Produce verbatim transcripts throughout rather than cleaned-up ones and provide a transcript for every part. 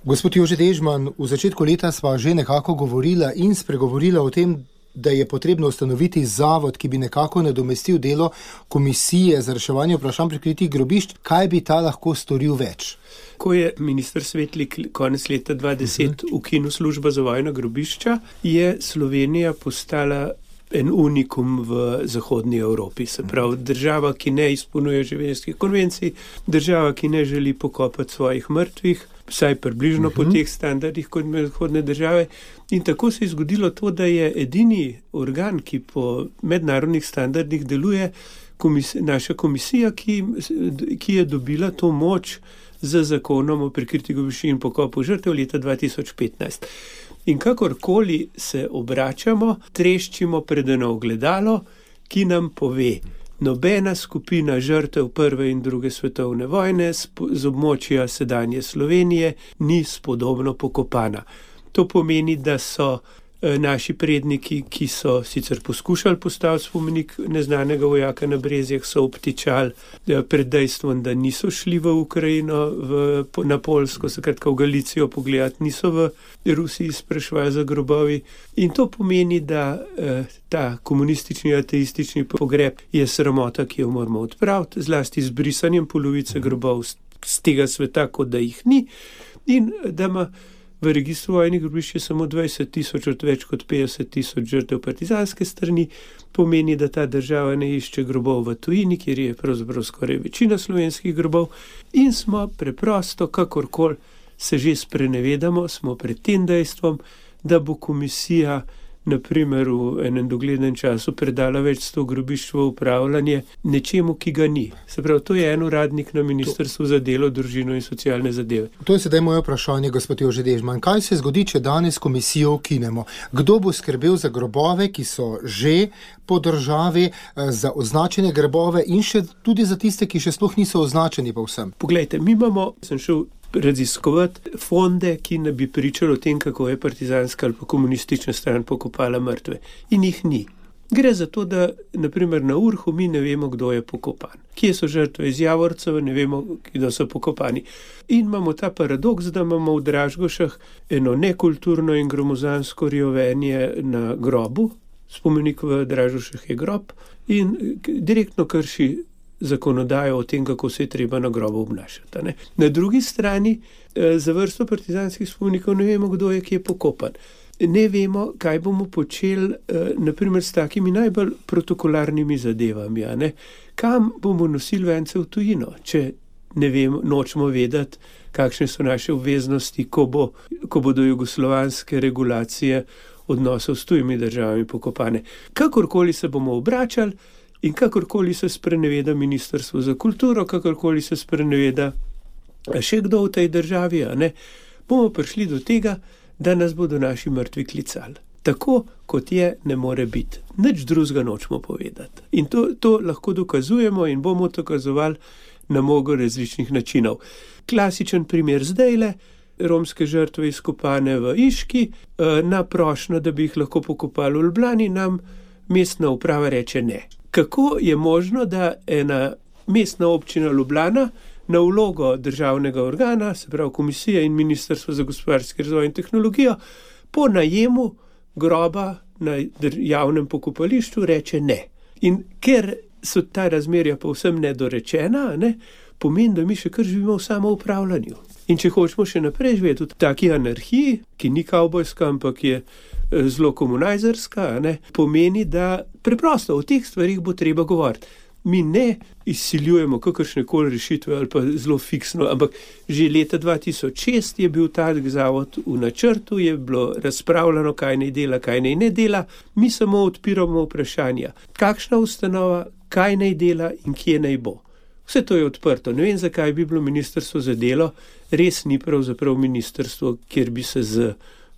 Gospod Jože Dežman, v začetku leta sva že nekako govorila in spregovorila o tem, da je potrebno ustanoviti zavod, ki bi nekako nadomestil delo komisije za reševanje vprašanj prikritih grobišč. Kaj bi ta lahko storil več? Ko je minister Svetlik konec leta dva tisoč deset uh-huh. ukinil službo za vojna grobišča, je Slovenija postala en unikum v zahodni Evropi. Se pravi, država, ki ne izpolnjuje ženevskih konvencij, država, ki ne želi pokopati svojih mrtvih, vsaj približno uh-huh. po teh standardih kot zahodne države. In tako se je zgodilo to, da je edini organ, ki po mednarodnih standardih deluje, komis- naša komisija, ki, ki je dobila to moč z zakonom o prikritih grobiščih in pokopu žrtev leta dva tisoč petnajst. In kakorkoli se obračamo, treščimo pred eno ogledalo, ki nam pove, nobena skupina žrtev prve in druge svetovne vojne z območja sedanje Slovenije ni spodobno pokopana. To pomeni, da so naši predniki, ki so sicer poskušali postaviti spomenik neznanega vojaka na Brezjah, so obtičali pred dejstvom, da niso šli v Ukrajino, v, na Poljsko, skratka v Galicijo pogledati, niso v Rusiji sprašvali za grobovi. In to pomeni, da eh, ta komunistični, ateistični pogreb je sramota, ki jo moramo odpraviti, zlasti z brisanjem polovice grobov z tega sveta, kot da jih ni, in da ima v registru vojnih grobišč je samo dvajset tisoč od več kot petdeset tisoč žrtev partizanske strani, pomeni, da ta država ne išče grobov v tujini, kjer je pravzaprav skoraj večina slovenskih grobov, in smo preprosto, kakorkoli se že sprenevedamo, smo pred tem dejstvom, da bo komisija na primer v enem doglednem času predala več sto grobišč v upravljanje nečemu, ki ga ni. Se pravi, to je en uradnik na Ministrstvu za delo, družino in socialne zadeve. To je sedaj moje vprašanje, gospod Jože Dežman. Kaj se zgodi, če danes komisijo ukinemo? Kdo bo skrbel za grobove, ki so že po državi, za označene grobove in še tudi za tiste, ki še sploh niso označeni povsem? Poglejte, mi imamo, sem šel raziskovati fonde, ki ne bi pričali o tem, kako je partizanska ali pa komunistična stran pokopala mrtve. In jih ni. Gre za to, da naprimer na Urhu mi ne vemo, kdo je pokopan. Kje so žrtve iz Javorceva, ne vemo, kdo so pokopani. In imamo ta paradoks, da imamo v Dražgošah eno nekulturno in gromozansko rjovenje na grobu. Spomenik v Dražgošah je grob in direktno krši zakonodajo o tem, kako se je treba na grobu obnašati. Ne? Na drugi strani, za vrsto partizanskih spomenikov ne vemo, kdo je, ki je pokopan. Ne vemo, kaj bomo počeli, naprimer, s takimi najbolj protokolarnimi zadevami. Ne? Kam bomo nosili vence v tujino, če ne vemo, nočemo vedeti, kakšne so naše obveznosti, ko, bo, ko bodo jugoslovanske regulacije odnosov s tujimi državami pokopane. Kakorkoli se bomo obračali, in kakorkoli se spreneveda Ministrstvo za kulturo, kakorkoli se spreneveda še kdo v tej državi, a ne, bomo prišli do tega, da nas bodo naši mrtvi klicali. Tako, kot je, ne more biti. Nič drugega nočemo povedati. In to, to lahko dokazujemo in bomo dokazovali na mnogo različnih načinov. Klasičen primer zdajle, romske žrtve izkopane v Iški, na prošnjo, da bi jih lahko pokopali v Ljubljani, nam mestna uprava reče ne. Kako je možno, da ena mestna občina Ljubljana na vlogo državnega organa, se pravi komisija in Ministrstvo za gospodarski razvoj in tehnologijo, po najemu groba na javnem pokopališču reče ne. In ker so ta razmerja povsem nedorečena, ne, pomeni, da mi še kar živimo v samoupravljanju. In če hočemo še naprej živeti v taki anarhiji, ki ni kavbojska, ampak je zelo komunajzerska, ne, pomeni, da preprosto o teh stvarih bo treba govoriti. Mi ne izsiljujemo kakršne koli rešitve ali pa zelo fiksno, ampak že leta dva tisoč šest je bil tak zavod v načrtu, je bilo razpravljeno, kaj naj dela, kaj naj ne dela. Mi samo odpiramo vprašanja, kakšna ustanova, kaj naj dela in kje naj bo. Vse to je odprto. Ne vem, zakaj bi bilo Ministrstvo za delo, res ni pravzaprav ministrstvo, kjer bi se z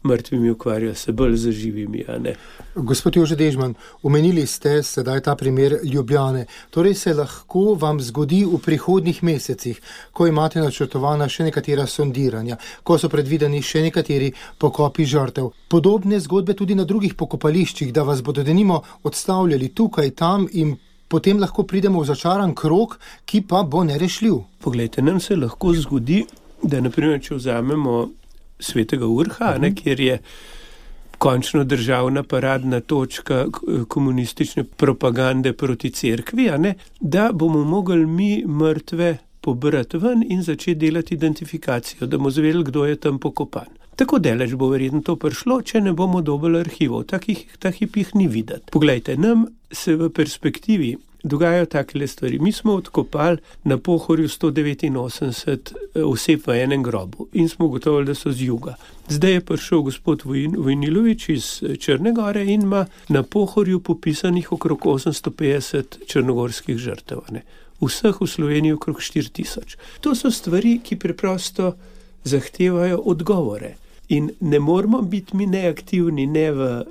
mrtvimi ukvarjali, se bolj za živimi, a ne. Gospod Jože Dežman, omenili ste sedaj ta primer Ljubljane. Torej se lahko vam zgodi v prihodnjih mesecih, ko imate načrtovana še nekatera sondiranja, ko so predvideni še nekateri pokopi žrtev. Podobne zgodbe tudi na drugih pokopališčih, da vas bodo denimo odstavljali tukaj, tam in potem lahko pridemo v začaran krog, ki pa bo nerešljiv. Poglejte, nam se lahko zgodi, da naprimer, če vzamemo Svetega Urha, ne, kjer je končno državna paradna točka komunistične propagande proti cerkvi, a ne, da bomo mogli mi mrtve pobrati ven in začeti delati identifikacijo, da bomo zvedeli, kdo je tam pokopan. Tako daleč bo verjetno to prišlo, če ne bomo dobili arhivov. Takih, takih jih ni videti. Poglejte, nam se v perspektivi dogajajo takele stvari. Mi smo odkopali na Pohorju sto devetinosemdeset oseb v enem grobu in smo gotovili, da so z juga. Zdaj je prišel gospod Vojnilović iz Črne Gore in ima na Pohorju popisanih okrog osemsto petdeset črnogorskih žrtev. Ne? Vseh v Sloveniji okrog štiri tisoč. To so stvari, ki preprosto zahtevajo odgovore. In ne moramo biti mi neaktivni ne v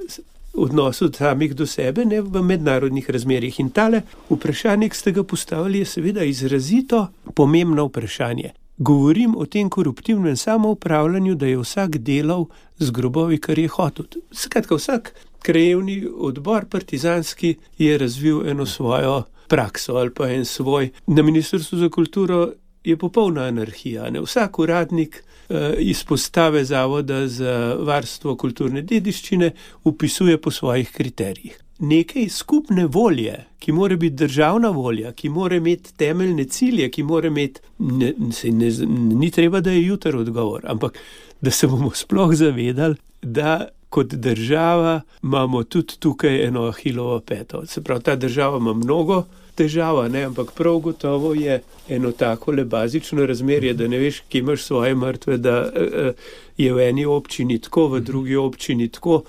odnosu samih do sebe, ne v mednarodnih razmerjih. In tale vprašanje, ki ste ga postavili, je seveda izrazito pomembno vprašanje. Govorim o tem koruptivnem samoupravljanju, da je vsak delal z grobovi, kar je hotel. Skratka, vsak krajevni odbor partizanski je razvil eno svojo prakso ali pa en svoj. Na Ministrstvu za kulturo je popolna anarhija. Ne? Vsak uradnik eh, izpostave Zavoda za varstvo kulturne dediščine upisuje po svojih kriterijih. Nekaj skupne volje, ki mora biti državna volja, ki mora imeti temeljne cilje, ki mora imeti, ne, se ne, ni treba, da je jutri odgovor, ampak da se bomo sploh zavedali, da kot država imamo tudi tukaj eno Ahilovo peto. Se pravi, ta država ima mnogo težava, ne? Ampak prav gotovo je eno takole bazično razmerje, da ne veš, kje imaš svoje mrtve, da uh, je v eni občini tako, v drugi občini tako,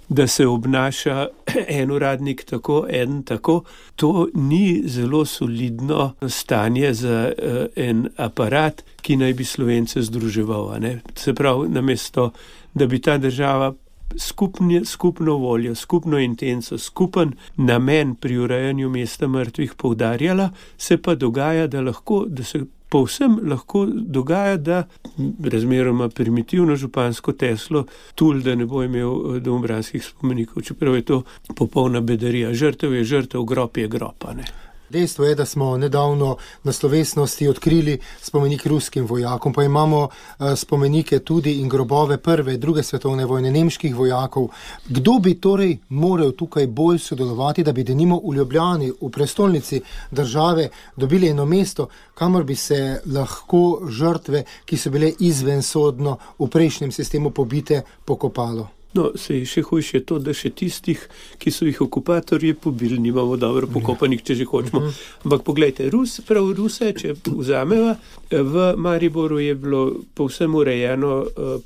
da se obnaša en uradnik tako, en tako. To ni zelo solidno stanje za uh, en aparat, ki naj bi Slovence združeval. Ne? Se pravi, namesto, da bi ta država Skupni, skupno voljo, skupno intenco, skupen namen pri urejanju mesta mrtvih poudarjala, se pa dogaja, da lahko, da se povsem lahko dogaja, da razmeroma primitivno župansko teslo tul, da ne bo imel domobranskih spomenikov, čeprav je to popolna bedarija. Žrtev je žrtev, grob je grob, ne. Dejstvo je, da smo nedavno na slovesnosti odkrili spomenik ruskim vojakom, pa imamo spomenike tudi in grobove prve, druge svetovne vojne, nemških vojakov. Kdo bi torej moral tukaj bolj sodelovati, da bi denimo v Ljubljani, v prestolnici države, dobili eno mesto, kamor bi se lahko žrtve, ki so bile izvensodno v prejšnjem sistemu pobite, pokopalo? No, se je še hujše to, da še tistih, ki so jih okupatorji pobili, nimamo dobro pokopanih, če že hočemo. Ampak poglejte, Rus, prav Ruse, če vzameva, v Mariboru je bilo povsem urejeno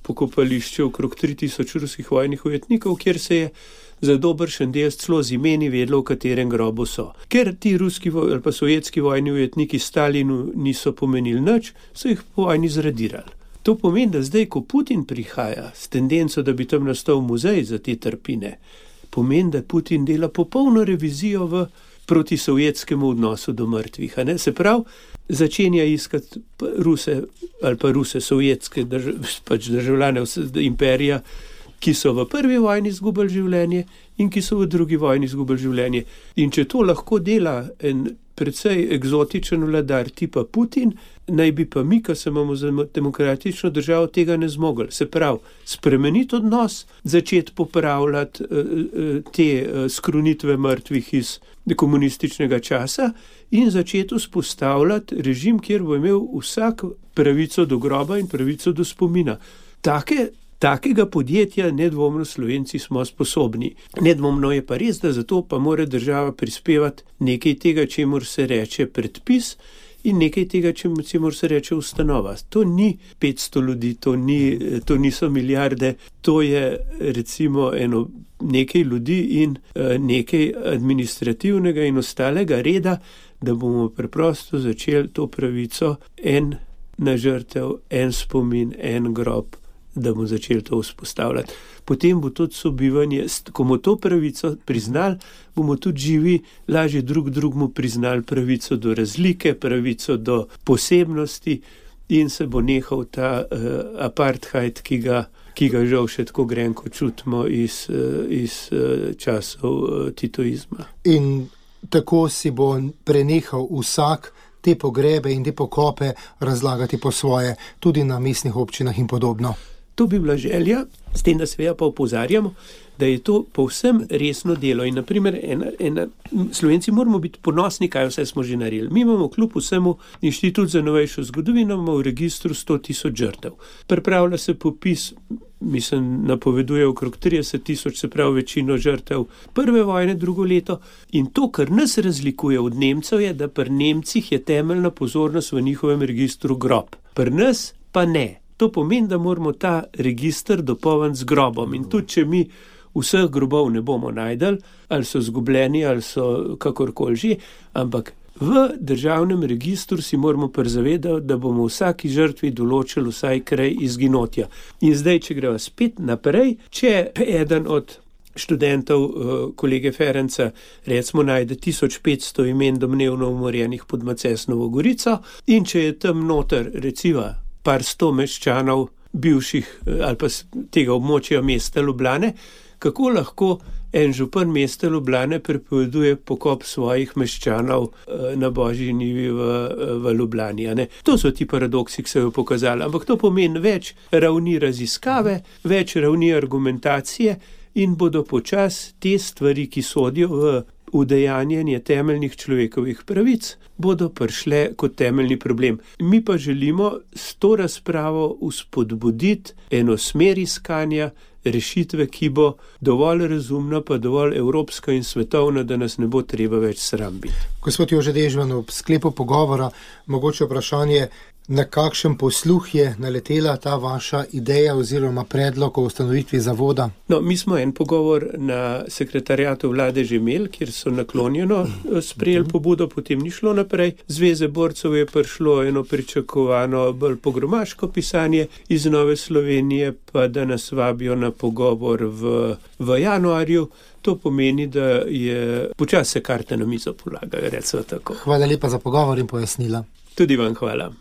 pokopališče okrog tri tisoč ruskih vojnih ujetnikov, kjer se je za dobršen del celo z imeni vedlo, v katerem grobu so. Ker ti ruski ali pa sovjetski vojni ujetniki Stalinu niso pomenili nič, so jih po vojni zradirali. To pomeni, da zdaj, ko Putin prihaja s tendenco, da bi tam nastal muzej za te trpine, pomeni, da Putin dela popolno revizijo v protisovjetskemu odnosu do mrtvih. A ne? Se pravi, začenja iskati Ruse ali pa Ruse sovjetske drž pač državljane imperija, ki so v prvi vojni izgubili življenje in ki so v drugi vojni izgubili življenje. In če to lahko dela en predvsej eksotičen vladar tipa Putin, naj bi pa mi, ko se imamo za demokratično državo, tega ne zmogli. Se pravi, spremeniti odnos, začeti popravljati uh, te uh, skrunitve mrtvih iz komunističnega časa in začeti vzpostavljati režim, kjer bo imel vsak pravico do groba in pravico do spomina. Take Takega podjetja nedvomno Slovenci smo sposobni. Nedvomno je pa res, da zato pa mora država prispevati nekaj tega, čemur se reče predpis in nekaj tega, čemur se reče ustanova. To ni petsto ljudi, to, ni, to niso milijarde, to je recimo eno nekaj ljudi in nekaj administrativnega in ostalega reda, da bomo preprosto začeli to pravico en na žrtev, en spomin, en grob, da bomo začeli to vzpostavljati. Potem bo tudi sobivanje, ko bomo to pravico priznali, bomo tudi živi, lažje drug drugmu priznali pravico do razlike, pravico do posebnosti in se bo nehal ta uh, apartheid, ki ga, ki ga žal še tako grenko čutimo iz, uh, iz uh, časov uh, titoizma. In tako si bo prenehal vsak te pogrebe in te pokope razlagati po svoje, tudi na mestnih občinah in podobno. To bi bila želja, s tem, da seveda pa opozarjamo, da je to povsem resno delo. In naprimer, ena, ena, Slovenci moramo biti ponosni, kaj vse smo že naredili. Mi imamo kljub vsemu Inštitut za novejšo zgodovino, imamo v registru sto tisoč žrtev. Pripravlja se popis, mislim, napoveduje okrog trideset tisoč, se pravi večino žrtev prve vojne, drugo leto. In to, kar nas razlikuje od Nemcev, je, da pri Nemcih je temeljna pozornost v njihovem registru grob. Pri nas pa ne. To pomeni, da moramo ta register dopolniti z grobom. In tudi, če mi vseh grobov ne bomo najdeli, ali so zgubljeni, ali so kakorkoli že, ampak v državnem registru si moramo prizavedati, da bomo vsaki žrtvi določili vsaj kraj izginotja. In zdaj, če greva spet naprej, če eden od študentov kolege Ferenca recimo najde tisoč petsto imen domnevno umorjenih pod Macesnovo Gorico in če je tam noter recimo par sto meščanov bivših ali pa tega območja mesta Ljubljane, kako lahko en župan mesta Ljubljane prepoveduje pokop svojih meščanov na Božji njivi v, v Ljubljani. Ne? To so ti paradoksi, ki se jo pokazali, ampak to pomeni več ravni raziskave, več ravni argumentacije in bodo počas te stvari, ki sodijo v udejanjanje temeljnih človekovih pravic, bodo prišle kot temeljni problem. Mi pa želimo s to razpravo vzpodbuditi eno smer iskanja rešitve, ki bo dovolj razumna, pa dovolj evropska in svetovna, da nas ne bo treba več sram biti. Gospod Jože Dežman, v sklepu pogovora mogoče vprašanje, na kakšen posluh je naletela ta vaša ideja oziroma predlog o ustanovitvi zavoda? No, mi smo en pogovor na sekretariatu vlade že imeli, kjer so naklonjeno sprejeli pobudo, potem ni šlo naprej. Zveze borcev je prišlo eno pričakovano bolj pogromaško pisanje iz Nove Slovenije, pa da nas vabijo na pogovor v, v januarju. To pomeni, da je počasi se karte na mizo polagajo, recimo tako. Hvala lepa za pogovor in pojasnila. Tudi vam hvala.